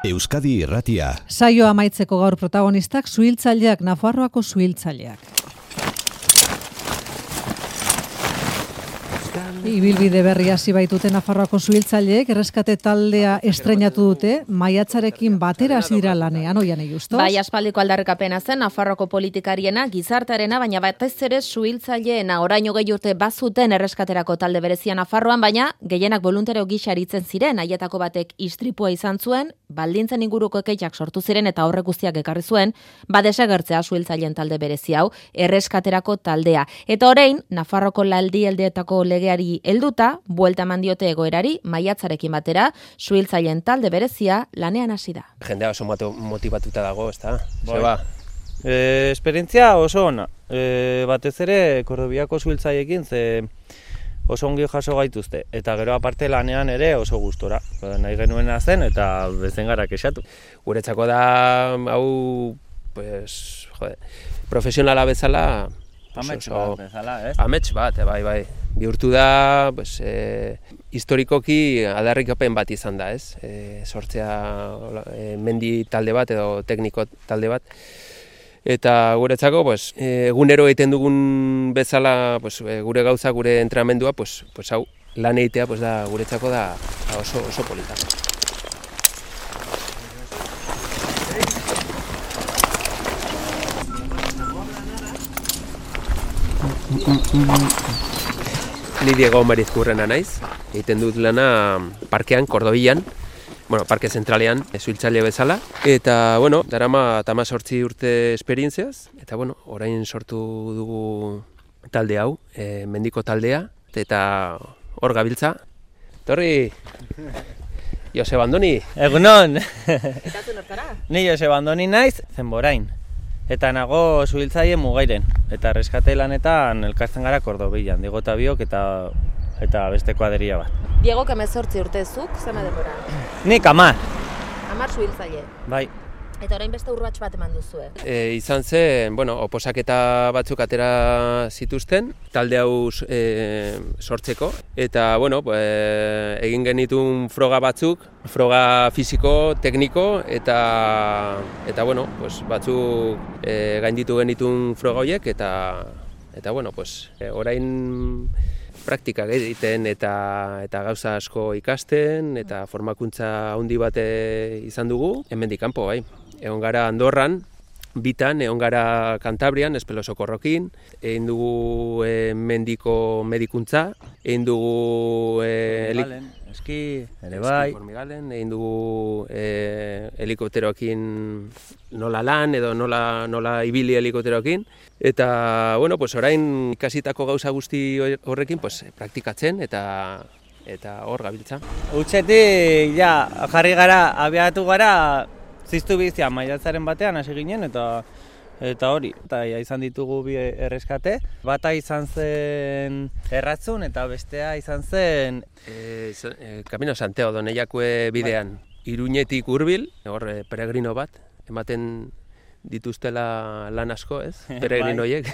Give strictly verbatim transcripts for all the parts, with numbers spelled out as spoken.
Euskadi Irratia. Saio amaitzeko gaur protagonistak suhiltzaileak, Nafarroako suhiltzaileak. Ibilbide berri hasi baitute Nafarroako suhiltzaileek, erreskate taldea estreinatu dute, maiatzarekin batera hasi dira lanean, Oiane Justo. Bai, aspaldiko aldarrikapena zen Nafarroako politikariena, gizartearena, baina batez ere suhiltzaileena. Oraino gehi urte bazuten erreskaterako talde berezia Nafarroan, baina gehienak boluntario gisa aritzen ziren, haietako batek istripua izan zuen, baldintzen inguruko ekeitzak sortu ziren eta horrek guztiak ekarri zuen, badesagertzea suhiltzaileen talde berezi hau, erreskaterako taldea. Eta orain, Nafarroko laldialdeetako legeari helduta, buelta eman diote egoerari, maiatzarekin batera, suhiltzaileen talde berezia lanean hasi da. Jendea oso motibatuta dago, ezta? Zeba. E, esperientzia oso ona. E, batez ere, Kordobiako suhiltzaileekin, ze oso ongi jaso gaituzte. Eta gero aparte lanean ere oso gustora. Nahi genuena zen eta bezen gara kexatu. Guretzako da, hau, pues, jode, profesionala bezala, Amets bat bezala, ez? Amets bat, bai, bai. Bihurtu da, pues, e, historikoki aldarrikapen bat izan da, ez? E, sortzea e, mendi talde bat edo tekniko talde bat. Eta guretzako, pues, egunero egiten dugun bezala, pues, gure gauza, gure entrenamendua, pues, pues, hau, lan egitea, pues, da, guretzako da oso, oso polita. Ni Diego Marizkurrena naiz, egiten dut lana parkean, Kordobian, bueno, parke zentralean, suhiltzaile bezala. Eta, bueno, darama hemezortzi urte esperientziaz, eta, bueno, orain sortu dugu talde hau, e, mendiko taldea, eta hor gabiltza. Torri, Joseba Andoni. Egunon! Eta zu nortzara? Ni Joseba Andoni naiz, Zenborain. Eta nago suhiltzaile Mugairen, eta erreskate lanetan elkartzen gara Kordobian, Diego eta biok eta, eta beste kuadrilla bat. Diego, hemezortzi urte zuk, zema denbora? Nik hamar. Hamar suhiltzaile. Bai. Eta orain beste urrats bat eman duzue. E, izan zen, bueno, oposaketa batzuk atera zituzten, talde hau e, sortzeko. Eta, bueno, e, egin genitun froga batzuk, froga fisiko, tekniko, eta, eta bueno, pues, batzuk e, gainditu genitun froga horiek, eta, eta bueno, pues, e, orain praktikak egiten eta, eta gauza asko ikasten, eta formakuntza handi bat izan dugu, hemendik kanpo, bai. Egon gara Andorran, bitan, egon gara Kantabrian, Espelosokorrokin, egin dugu e, mendiko medikuntza, egin dugu e, Formigalen, eski, ere bai. Formigalen, egin dugu e, helikopteroekin nola lan edo nola, nola ibili helikopteroekin. Eta, bueno, pues orain ikasitako gauza guzti horrekin pues, praktikatzen eta eta hor gabiltza. Utsetik, ja, jarri gara, abiatu gara, ziztu bizia maiatzaren batean hasi ginen eta eta hori. Eta ja, izan ditugu bi erreskate. Bata izan zen Erratzun eta bestea izan zen e, e, Camino Santiago Doneiakue bidean. Iruñetik hurbil, hor e, peregrino bat, ematen dituztela lan asko, ez? Peregrino horiek.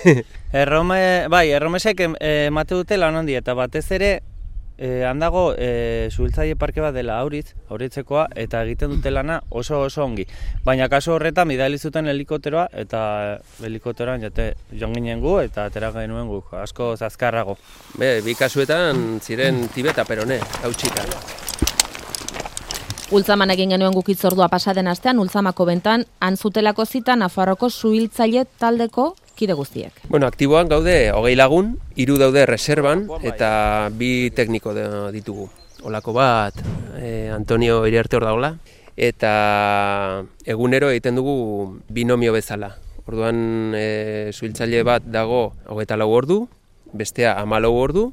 Errome, bai, erromesek emate dute lan handi eta batez ere E, handago e, suhiltzaile parke bat dela Auritz, Auritzekoa, eta egiten dute lana oso oso ongi. Baina kasu horretan bidali zuten helikopteroa eta helikopteroan jate joan ginen gu eta atera genuen gu, asko azkarrago. Be, bi kasuetan ziren Tibeta Perone, hautsika. Ultzaman egin genuen guk hitzordua pasaden astean, Ultzamako bentan, antzutelako zita Nafarroko suhiltzaile taldeko kide guztiek. Bueno, aktiboan gaude hogei lagun, hiru daude reserban eta bi tekniko ditugu. Olako bat, eh, Antonio Iriarte hor dagoela, eta egunero egiten dugu binomio bezala. Orduan e, suhiltzaile bat dago hogeita lau ordu, bestea hamalau ordu.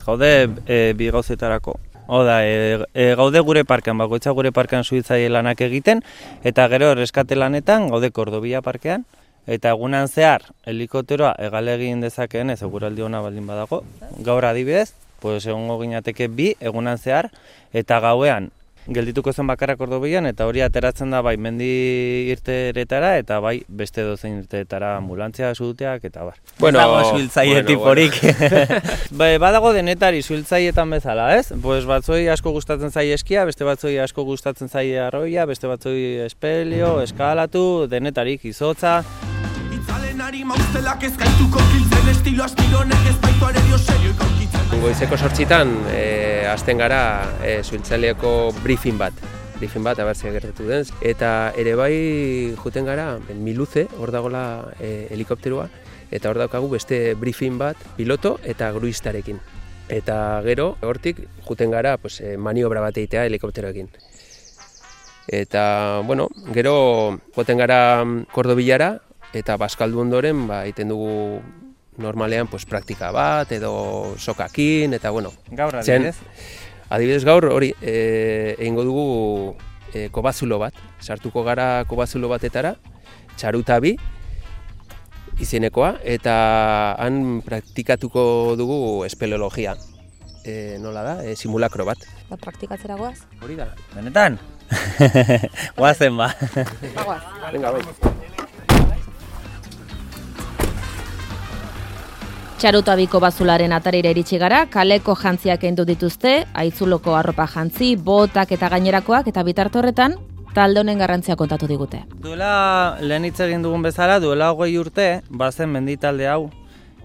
Gaude e, bi gauzetarako. Oda, e, e, gaude gure parkean, bakoitza gure parkean suhiltzaile lanak egiten, eta gero erreskate lanetan gaude Kordobia parkean, eta egunan zehar helikopteroa hegale egin dezakeen ez eguraldi ona baldin badago. Gaur adibidez, pues egongo ginateke bi egunan zehar, eta gauean geldituko zen bakarrak Ordobian, eta hori ateratzen da bai mendi irteretara, eta bai beste dozein irteretara ambulantzia, suduteak, eta bar. Bueno, ez dago suhiltzaile bueno, tiporik. Bueno. Badago denetari suhiltzaileetan bezala, ez? Pues batzoi asko gustatzen zaie eskia, beste batzoi asko gustatzen zaie arroia, beste batzoi espelio, eskalatu, denetarik izotza. Goizeko sortzitan, e, azten gara e, suhiltzaileeko briefing bat. Briefing bat, abertzea gertatu den. Eta ere bai juten gara, Miluze, hor dagoela e, helikopterua, eta hor daukagu beste briefing bat, piloto eta gruistarekin. Eta gero, hortik, juten gara pues, maniobra bat egitea helikopteroekin. Eta, bueno, gero, joten gara Kordobilara, eta bazkaldu ondoren, ba, egiten dugu normalean pues, praktika bat, edo sokakin, eta bueno. Gaur adibidez? Adibidez gaur, hori, e, egingo dugu e, kobazulo bat. Sartuko gara kobazulo batetara, txaruta bi, izenekoa, eta han praktikatuko dugu espeleologia. E, nola da, e, simulakro bat. Ba, praktikatzera goaz? Hori da. Benetan? Guazen ba. Ba, goaz. Venga, bai. Txarutabiko bazularen atarira iritsi gara, kaleko jantziak kendu dituzte, aitzuloko arropa jantzi, botak eta gainerakoak, eta bitarte horretan, talde honen garrantzia kontatu digute. Duela, lehen hitz egin dugun bezala, duela hogei urte, bazen mendi talde hau,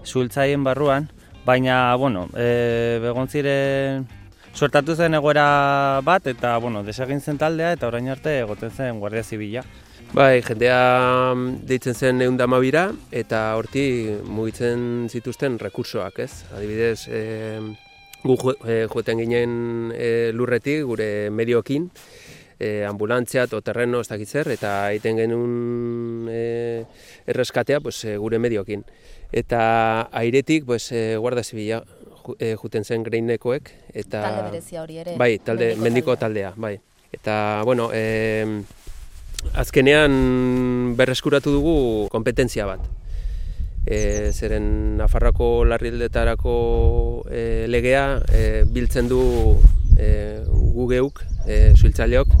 suhiltzaileen barruan, baina, bueno, e, begon ziren, suertatu zen egoera bat, eta, bueno, desegin zen taldea, eta orain arte egoten zen Guardia Zibila. Bai, jendea deitzen zen ehun eta hamabira eta horti mugitzen zituzten rekursoak, ez? Adibidez, e, gu joeten ginen e, lurretik, gure mediokin, e, ambulantzia, terreno, ez dakit zer, eta egiten genuen e, erreskatea pues, e, gure mediokin. Eta airetik, pues, e, Guardia Zibila e, juten zen Greinekoek. Eta, talde berezia hori ere. Bai, talde, mendiko taldea, bai. Eta, bueno, e, azkenean berreskuratu dugu kompetentzia bat. E, zeren Nafarroako larrialdetarako e, legea e, biltzen du e, gu geuk, e, suhiltzaileok,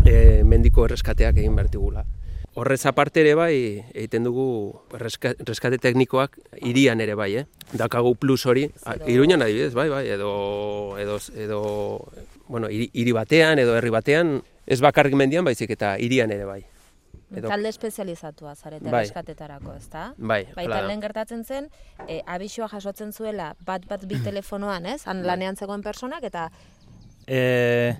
e, mendiko erreskateak egin behar digula. Horrez aparte ere bai, egiten dugu erreskate teknikoak hirian ere bai, eh? Dakagu plus hori, Iruñan adibidez, bai, bai, edo, edo, edo bueno, hiri, hiri batean edo herri batean, ez bakarrik mendian baizik eta hirian ere bai. Edo... Talde espezializatua zarete bai. Erreskatetarako, ezta? Bai, Baita lehen gertatzen zen, e, abisua jasotzen zuela bat bat bi telefonoan, ez? Han lanean zegoen personak eta... E,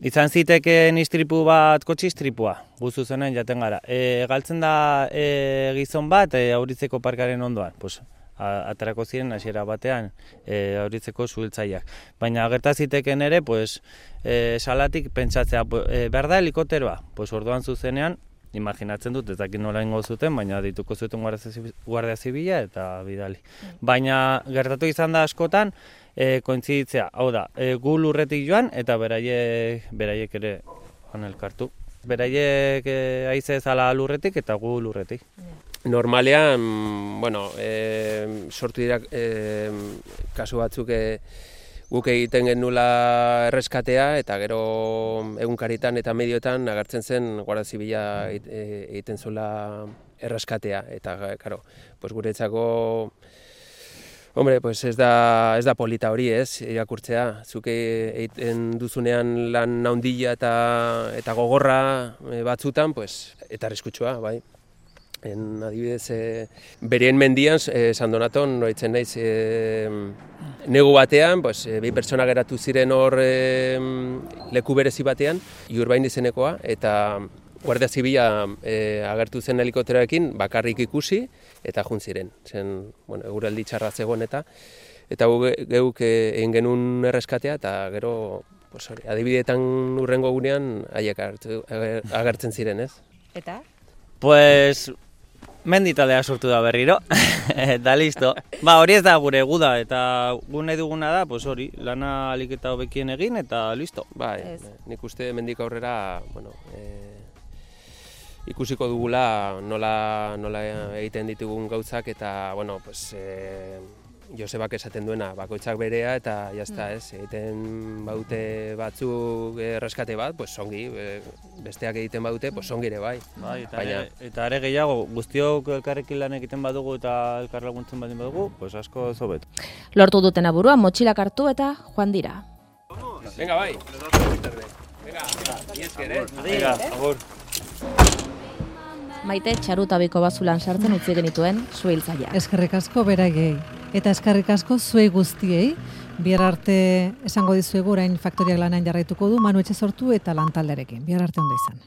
izan zitekeen istripu bat kotxistripua, guzu zenen jaten gara. E, galtzen da e, gizon bat e, Auritzeko parkaren ondoan, pues, aterako ziren hasiera batean e, Auritzeko suhiltzaileak. Baina gerta zitekeen ere, pues, e, salatik pentsatzea, e, behar da helikopteroa, pues, orduan zuzenean, imaginatzen dut, ez dakit nola ingo zuten, baina dituko zuten Guardia Zibila eta bidali. Baina gertatu izan da askotan, e, kointziditzea, hau da, e, gu lurretik joan eta beraiek, beraiek ere han elkartu. Beraiek e, haize ezala lurretik eta gu lurretik. Normalean, bueno, e, sortu dira e, kasu batzuk e, guk egiten genula erreskatea eta gero egunkaritan eta medioetan agertzen zen Guardia Zibila egiten zuela erreskatea eta claro, pues guretzako hombre, pues ez da ez da polita hori, ez? Irakurtzea, zuk egiten duzunean lan handia eta eta gogorra batzutan, pues eta arriskutsua, bai. En, adibidez, e, bereen mendian, e, San Donaton, noitzen naiz, e, negu batean, pues, e, bi pertsona geratu ziren hor e, leku berezi batean, Iurbain izenekoa, eta Guardia Zibila e, agertu zen helikopteroekin bakarrik ikusi, eta jun ziren. Zen, bueno, eguraldi txarra zegoen eta, eta geuk egin genuen erreskatea, eta gero, pues, hori, adibideetan urrengo gunean, haiek agertzen ziren, ez? Eta? Pues... Menditalea sortu da berriro, eta listo. Ba, hori ez da gure guda, eta gu nahi duguna da, pues hori, lana alik eta hobekien egin, eta listo. Bai, nik uste mendik aurrera, bueno, e, ikusiko dugula nola, nola egiten ditugun gauzak, eta, bueno, pues, e, Josebak esaten duena, bakoitzak berea eta jazta, ez, egiten baute batzuk erreskate bat, pues ongi, besteak egiten baute, pues ongi ere bai. Bai, eta, Baina, are, eta are gehiago, guztiok elkarrekin lan egiten badugu eta elkar laguntzen badin badugu, pues asko zobet. Lortu duten aburua, motxilak hartu eta joan dira. Venga, bai. Venga, iezker, eh? Venga, agur. Maite txarutabiko bazulan sartzen utzi genituen suhiltzailea. Eskerrik asko beraiei eta eskerrik asko zuei guztiei. Bihar arte esango dizuegu orain faktoriak lanean jarraituko du Manu Etxesortu eta lantalderekin. Bihar arte ondo izan.